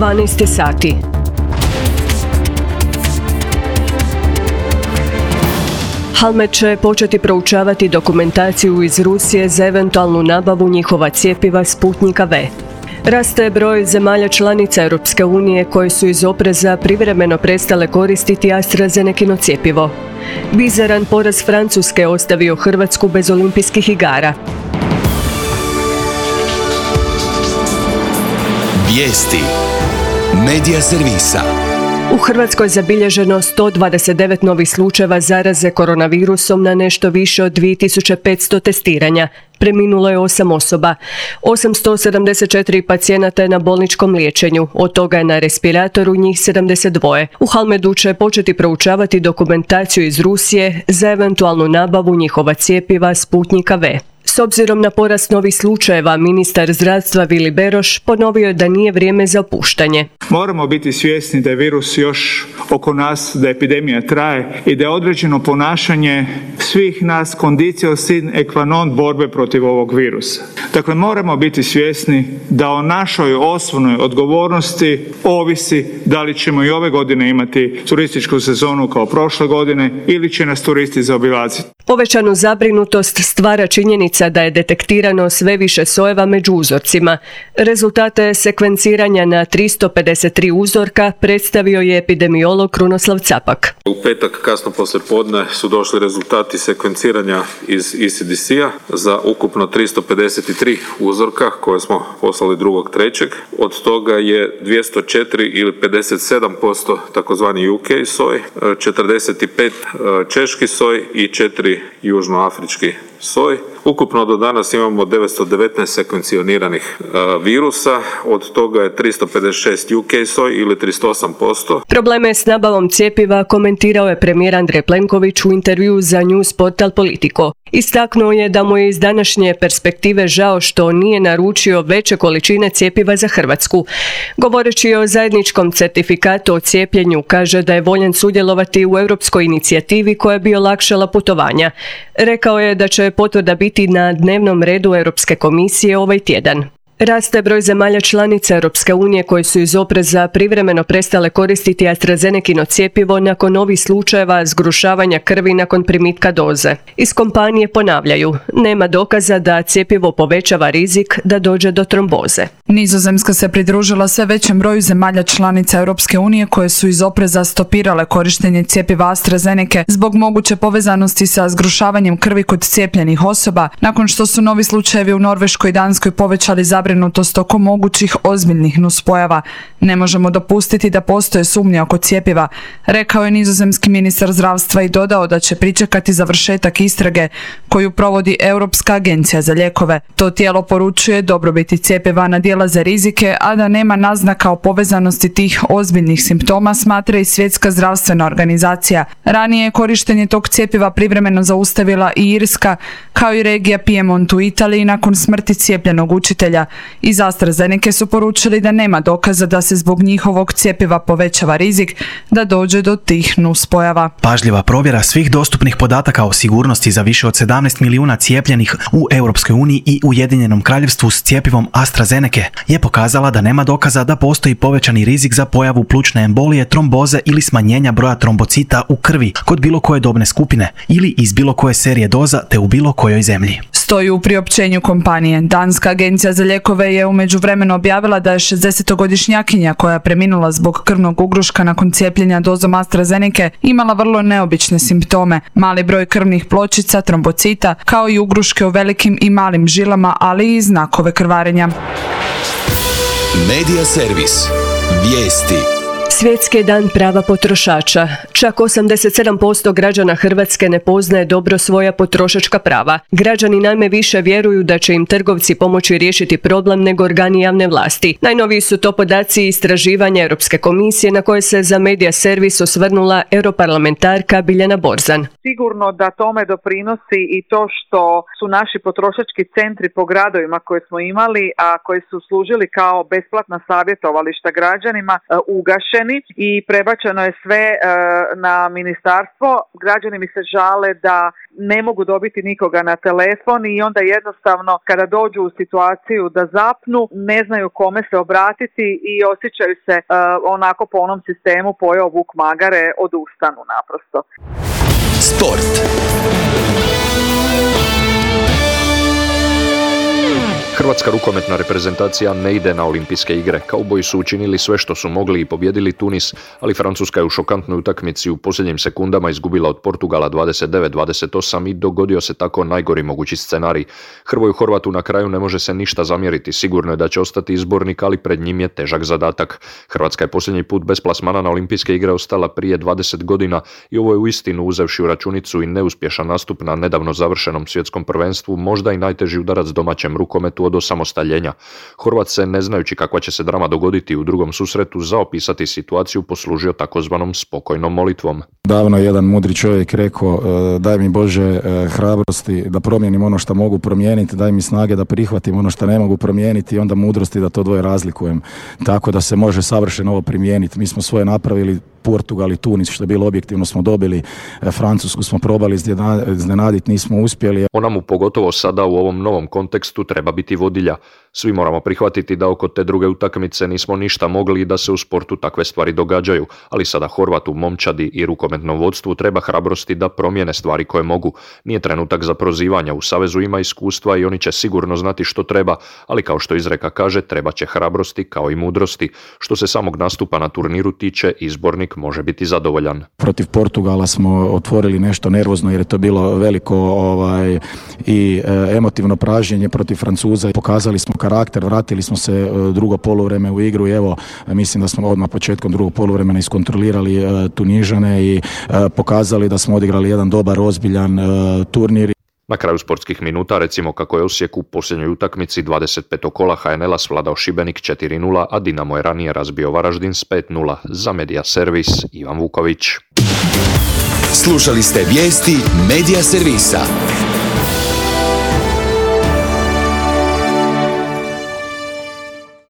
12 sati. Halmed će početi proučavati dokumentaciju iz Rusije za eventualnu nabavu njihova cjepiva Sputnika V. Raste broj zemalja članica Europske unije koje su iz opreza privremeno prestale koristiti AstraZenekino cjepivo. Bizaran poraz Francuske ostavio Hrvatsku bez olimpijskih igara. Vijesti Medija servisa. U Hrvatskoj je zabilježeno 129 novih slučajeva zaraze koronavirusom na nešto više od 2500 testiranja. Preminulo je 8 osoba. 874 pacijenata je na bolničkom liječenju, od toga je na respiratoru njih 72. U Halmedu će početi proučavati dokumentaciju iz Rusije za eventualnu nabavu njihova cjepiva Sputnika V. S obzirom na porast novih slučajeva, ministar zdravstva Vili Beroš ponovio je da nije vrijeme za opuštanje. Moramo biti svjesni da je virus još oko nas, da epidemija traje i da je određeno ponašanje svih nas condicio sine qua non borbe protiv ovog virusa. Dakle, moramo biti svjesni da o našoj osnovnoj odgovornosti ovisi da li ćemo i ove godine imati turističku sezonu kao prošle godine ili će nas turisti zaobilaziti. Povećanu zabrinutost stvara činjenica da je detektirano sve više sojeva među uzorcima. Rezultate sekvenciranja na 353 uzorka predstavio je epidemiolog Krunoslav Capak. U petak kasno poslijepodne su došli rezultati sekvenciranja iz ECDC-a za ukupno 353 uzorka koje smo poslali 2.3. Od toga je 204 ili 57% takozvani UK soj, 45 češki soj i 4 južnoafrički soj. Ukupno do danas imamo 919 sekvencioniranih virusa, od toga je 356 UK soj ili 38%. Probleme s nabavom cjepiva komentirao je premijer Andrej Plenković u intervjuu za news portal Politico. Istaknuo je da mu je iz današnje perspektive žao što nije naručio veće količine cjepiva za Hrvatsku. Govoreći o zajedničkom certifikatu o cijepljenju, kaže da je voljan sudjelovati u europskoj inicijativi koja bi olakšala putovanja. Rekao je da će potvrda biti na dnevnom redu Europske komisije ovaj tjedan. Raste broj zemalja članica Europske unije koje su iz opreza privremeno prestale koristiti AstraZenekino cjepivo nakon novih slučajeva zgrušavanja krvi nakon primitka doze. Iz kompanije ponavljaju, nema dokaza da cjepivo povećava rizik da dođe do tromboze. Nizozemska se pridružila sve većem broju zemalja članica Europske unije koje su iz opreza stopirale korištenje cjepiva AstraZeneke zbog moguće povezanosti sa zgrušavanjem krvi kod cijepljenih osoba, nakon što su novi slučajevi u Norveškoj i Danskoj povećali zabrinutost oko mogućih ozbiljnih nuspojava. Ne možemo dopustiti da postoje sumnje oko cjepiva, rekao je nizozemski ministar zdravstva i dodao da će pričekati završetak istrage koju provodi Europska agencija za lijekove. To tijelo poručuje dobrobiti cjepiva nadilaze rizike, a da nema naznaka o povezanosti tih ozbiljnih simptoma, smatra i Svjetska zdravstvena organizacija. Ranije je korištenje tog cjepiva privremeno zaustavila i Irska, kao i regija Piemont u Italiji nakon smrti cijepljenog učitelja. Iz AstraZeneke su poručili da nema dokaza da se zbog njihovog cjepiva povećava rizik da dođe do tih nuspojava. Pažljiva provjera svih dostupnih podataka o sigurnosti za više od 17 milijuna cijepljenih u Europskoj uniji i Ujedinjenom kraljevstvu s cjepivom AstraZeneke je pokazala da nema dokaza da postoji povećani rizik za pojavu plućne embolije, tromboze ili smanjenja broja trombocita u krvi kod bilo koje dobne skupine ili iz bilo koje serije doza te u bilo kojoj zemlji. Stoji u priopćenju kompanije. Danska agencija za lijekove je u međuvremenu objavila da je 60-godišnjakinja koja je preminula zbog krvnog ugruška nakon cijepljenja dozom AstraZeneke imala vrlo neobične simptome, mali broj krvnih pločica, trombocita, kao i ugruške u velikim i malim žilama, ali i znakove krvarenja. Medija servis. Vijesti. Svjetski je dan prava potrošača. Čak 87% građana Hrvatske ne poznaje dobro svoja potrošačka prava. Građani naime više vjeruju da će im trgovci pomoći riješiti problem nego organi javne vlasti. Najnoviji su to podaci istraživanja Europske komisije na koje se za Medija servis osvrnula europarlamentarka Biljana Borzan. Sigurno da tome doprinosi i to što su naši potrošački centri po gradovima koje smo imali, a koji su služili kao besplatna savjetovališta građanima, ugašeni izgubljeni i prebačeno je sve na ministarstvo. Građani mi se žale da ne mogu dobiti nikoga na telefon i onda jednostavno kada dođu u situaciju da zapnu, ne znaju kome se obratiti i osjećaju se onako po onom sistemu pojeo vuk magare, odustanu naprosto. Sport. Hrvatska rukometna reprezentacija ne ide na olimpijske igre. Kauboji su učinili sve što su mogli i pobijedili Tunis, ali Francuska je u šokantnoj utakmici u posljednjim sekundama izgubila od Portugala 29-28 i dogodio se tako najgori mogući scenarij. Hrvoju Horvatu na kraju ne može se ništa zamjeriti, sigurno je da će ostati izbornik, ali pred njim je težak zadatak. Hrvatska je posljednji put bez plasmana na olimpijske igre ostala prije 20 godina i ovo je uistinu, uzevši u računicu i neuspješan nastup na nedavno završenom svjetskom prvenstvu, možda i najteži udarac domaćem rukometu od osamostaljenja. Horvat se, ne znajući kakva će se drama dogoditi u drugom susretu, za opisati situaciju poslužio takozvanom spokojnom molitvom. Davno je jedan mudri čovjek rekao, daj mi Bože hrabrosti da promijenim ono što mogu promijeniti, daj mi snage da prihvatim ono što ne mogu promijeniti i onda mudrosti da to dvoje razlikujem. Tako da se može savršeno ovo primijeniti. Mi smo svoje napravili, Portugal i Tunis, što je bilo objektivno smo dobili, Francusku smo probali iznenaditi, nismo uspjeli. Ona mu pogotovo sada u ovom novom kontekstu treba biti vodilja. Svi moramo prihvatiti da oko te druge utakmice nismo ništa mogli i da se u sportu takve stvari događaju, ali sada Horvatu, momčadi i rukometnom vodstvu treba hrabrosti da promijene stvari koje mogu. Nije trenutak za prozivanja, u savezu ima iskustva i oni će sigurno znati što treba, ali kao što izreka kaže, treba će hrabrosti kao i mudrosti. Što se samog nastupa na turniru tiče, izbornik može biti zadovoljan. Protiv Portugala smo otvorili nešto nervozno jer je to bilo veliko i emotivno pražnjenje. Protiv Francuza pokazali smo karakter, vratili smo se drugo poluvreme u igru i evo, mislim da smo odmah početkom drugog poluvremena iskontrolirali Tunižane i pokazali da smo odigrali jedan dobar, ozbiljan turnir. Na kraju sportskih minuta recimo kako je Osijek u posljednjoj utakmici 25. kola HNL-a svladao Šibenik 4-0, a Dinamo je ranije razbio Varaždin s 5-0. Za Media Servis, Ivan Vuković. Slušali ste vijesti Media Servisa.